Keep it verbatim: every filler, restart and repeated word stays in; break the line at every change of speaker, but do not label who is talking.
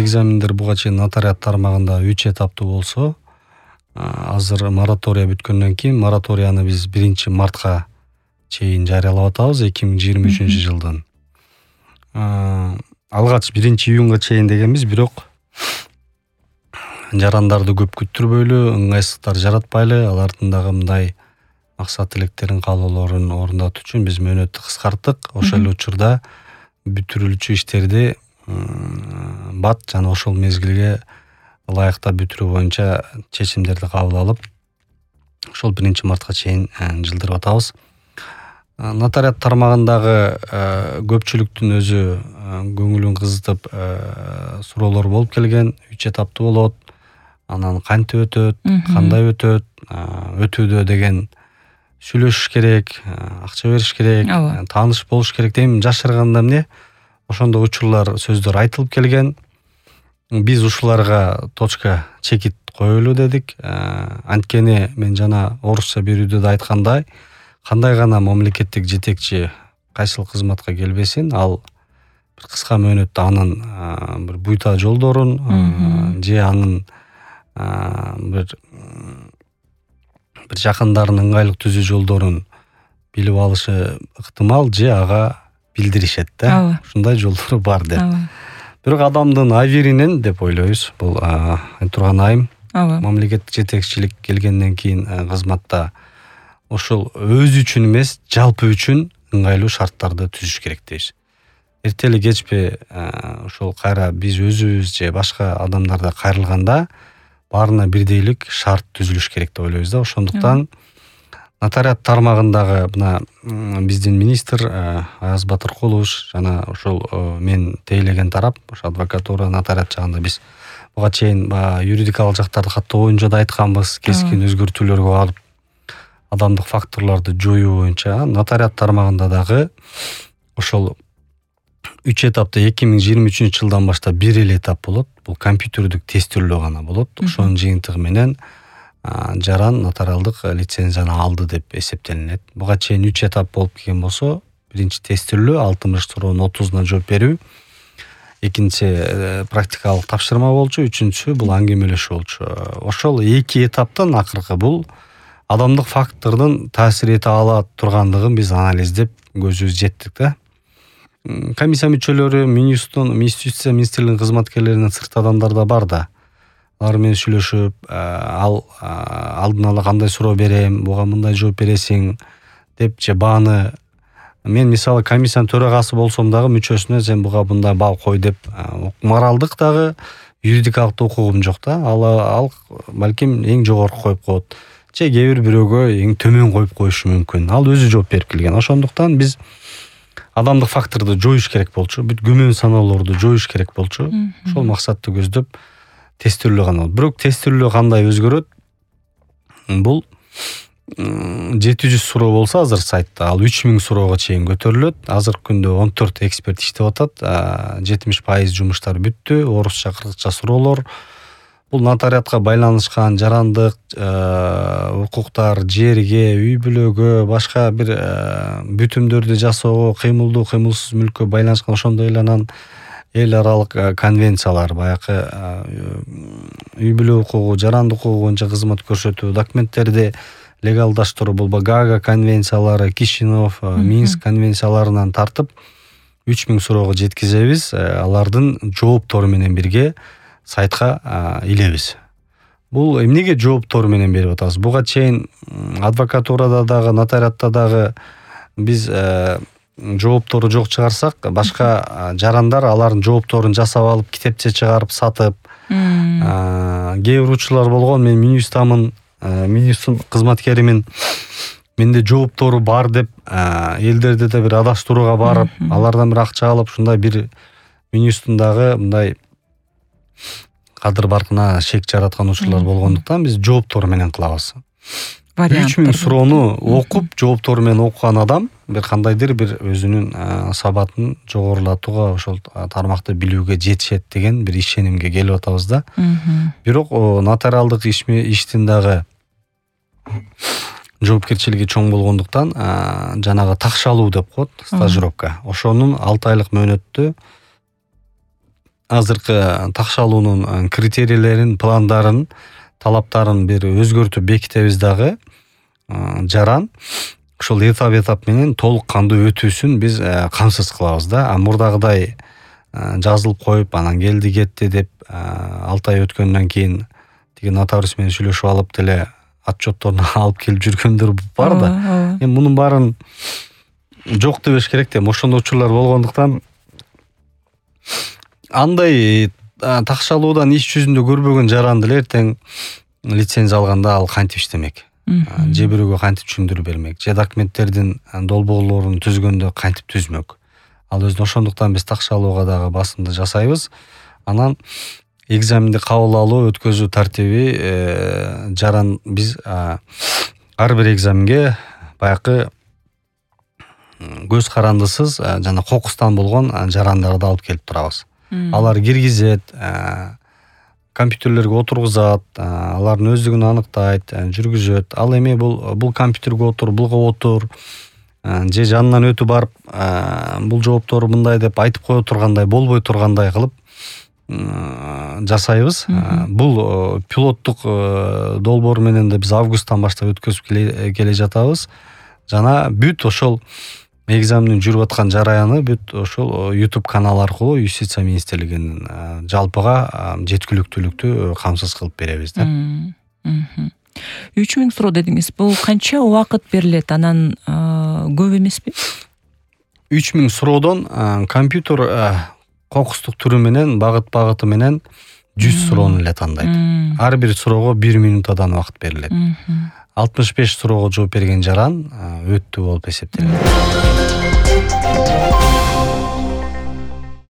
экзамендер буга чейин нотариат тармагында үч этаптуу болсо, азыр моратория бүткөндөн кийин мораторияны биз биринчи мартка чейин жарыялап атабыз эки миң жыйырма үчүнчү жылдын. Алгач биринчи июнга чейин дегенбиз, бирок жарандарды көп күттүрбөйлү, ыңгайсыздыктар жаратпайлы, алардын дагы мындай максат тилектерин, каалоолорун орундатуу үчүн биз мөөнөттү кыскарттык. Ошол эле учурда бүтүрүлчү иштерди бат жана ошол мезгилге ылайыктап бүтүрүү боюнча чечимдерди кабыл алып, ошол биринчи мартка чейин жылдырып атабыз. Нотариат тармагындагы көпчүлүктүн өзү көңүлүн кызытып суроолор болуп келген. Үч этаптуу болот. Анан кантип өтөт, кандай өтөт, өтүүдө деген сүйлөшүш керек, акча бериш керек, тааныш болуш керек дейм. Жашырганда эмне? Ошондой учурлар, сөздөр айтылып келген. Биз ушуларга точка чекит коелу дедик. Анткени мен жана орусча берүүдө да айткандай, кандай гана мамлекеттик жетекчи кайсыл кызматка келбесин, ал бир кыска мөөнөттө анын бир буйта жолдорун же анын бир бир жакындарын ыңгайлык түзүү жолдорун билип алышы ыктымал, же ага билдиришет да. Ушундай жолдору бар деп. Бирок адамдын авиринен деп ойлойбуз. Бул турган айым мамлекеттик жетекчилик келгенден кийин кызматта ошол өзү үчүн эмес, жалпы үчүн ыңгайлуу шарттарды түзүш керек дейбиз. Эртели кечпи ошол кайра биз өзүбүз же башка адамдарда кайрылганда баарына бирдейлик шарт түзүлүш керек деп ойлойбуз да. Ошондуктан нотариат тармагындагы мына биздин министр Аяз Батыркулович жана ошол мен тейлеген тарап, ошо адвокатура, нотариат жагында биз буга чейин юридикалык жактарды каттоо боюнча да айтканбыз, кескин өзгөртүүлөргө алып адамдык факторлорду жоюу боюнча. Нотариат тармагында дагы ошол үч этапта эки миң жыйырма үчүнчү жылдан баштап бир эле этап болот. Бул компьютердик тестирөө гана болот. Ошонун жыйынтыгы менен жаран нотариалдык лицензияны алды деп эсептелинет. Буга чейин үч этап болуп келген болсо, биринчи тестирөө, алтымыш суроонун отузуна жооп берүү, экинчи практикалык тапшырма болчу, үчүнчүсү бул аңгемелешүү болчу. Ошол эки этаптан акыркы бул адамдык фактордун таасир эте ала тургандыгын биз анализдеп көзүбүз жеттик да. Комиссия мүчөлөрү, Министрликтин министрлигинин кызматкерлеринен сырт адамдар да бар да. Алар менен сүйлөшүп, ал алдын ала кандай суроо берем, буга мындай жооп бересиң деп же бааны мен мисалы комиссиянын төрагасы болсом дагы мүчөсүнө сен буга мындай бал кой деп моралдык дагы юридикалык да укугум жок да. Ал ал балким эң жогорку коюп коет. Же кээ бир бирөөгө эң төмөн коюп коюшу мүмкүн. Ал өзү жооп берип келген. Ошондуктан биз адамдык факторду жоюш керек болчу, бүт күмөн саноолорду жоюш керек болчу. Ошол максатты көздөп тестирөө гана. Бирок тестирөө кандай өзгөрөт? Бул жети жүз суроо болсо азыр сайтта, ал үч миң суроого чейин көтөрүлөт. Азыркы күндө он төрт эксперт иштеп атат. жетимиш пайыз жумуштар бүттү. Орусча, кыргызча суроолор. Бул нотариатка байланышкан жарандык укуктар, жерге, үй бүлөгө, башка бир бүтүмдөрдү жасоого, кыймылдуу, кыймылсыз мүлккө байланышкан ошондой эле анан эл аралык конвенциялар, баягы үй бүлө укугу, жарандык укугу боюнча кызмат көрсөтүү документтерди легалдаштыруу, бул Гаага конвенциялары, Кишинев, Минск конвенцияларынан тартып үч миң суроого жеткизебиз. Алардын жооптору менен бирге сайтка илебиз. Бул эмнеге жооптору менен берип атабыз? Буга чейин адвокатурада дагы, нотариатта дагы биз жооптору жок чыгарсак, башка жарандар алардын жоопторун жасап алып, китепче чыгарып сатып, кээ бир учурлар болгон. Мен Минюстамын, Минюстун кызматкеримин, менде жооптору бар деп элдерди да бир адаштырууга барып, алардан бир акча алып, ушундай бир Минюстун дагы мындай кадыр баркына шек жараткан учурлар болгондуктан биз жооптору менен кылабыз. үч миң суроону окуп, жооптору менен окуган адам бир кандайдыр бир өзүнүн сабатын жогорулатууга, ошол тармакты билүүгө жетишет деген бир ишенимге келип атабыз да. Бирок нотариалдык иштин дагы жоопкерчилиги чоң болгондуктан жанагы такшалуу деп коет, стажировка. Ошонун алты айлык мөөнөттө азыркы такшалуунун критерийлерин, пландарын, талаптарын бир өзгөртүп бекитебиз дагы. Жаран ошол этап этап менен толук кандуу өтүүсүн биз камсыз кылабыз да. А мурдагыдай жазылып коюп, анан келди кетти деп алты ай өткөндөн кийин тиги нотариус менен сүйлөшүп алып деле отчетторун алып келип жүргөндөр бар да. Эми мунун баарын жок дебеш керек да. Ошондой учурлар болгондуктан андай такшалуудан иш жүзүндө көрбөгөн жаран деле эртең лицензия алганда ал кантип иштемек, же бирөөгө кантип түшүндүрүп бермек, же документтердин долбоорлорун түзгөндө кантип түзмөк. Ал өзүнө ошондуктан биз такшалууга дагы басымды жасайбыз. Анан экзаменди кабыл алуу, өткөзүү тартиби жаран биз ар бир экзаменге баягы көз карандысыз жана кокустан болгон жарандарды алып келип турабыз. Алар киргизет, компьютерлерге отургузат, алардын өздүгүн аныктайт, жүргүзөт. Ал эми бул бул компьютерге отур, булга отур, же жанынан өтүп барып, бул жооптору мындай деп айтып кое тургандай, болбой тургандай кылып жасайбыз. Бул пилоттук долбоор менен да биз августтан баштап өткөзүп келе жатабыз. Жана бүт ошол экзаменин жүрүп аткан жараяны бүт ошол YouTube канал аркылуу Юстиция министрлигинин жалпыга жеткиликтүүлүктү камсыз кылып беребиз да.
үч миң суроо дедиңиз. Бул канча убакыт берилет? Анан көп эмеспи?
үч миң суроодон компьютер кокустук түрү менен, багыт багыты менен жүз суроону эле тандайт. Ар бир суроого бир минутадан убакыт берилет. алтымыш беш суроого жооп берген жаран өттү болуп эсептелет.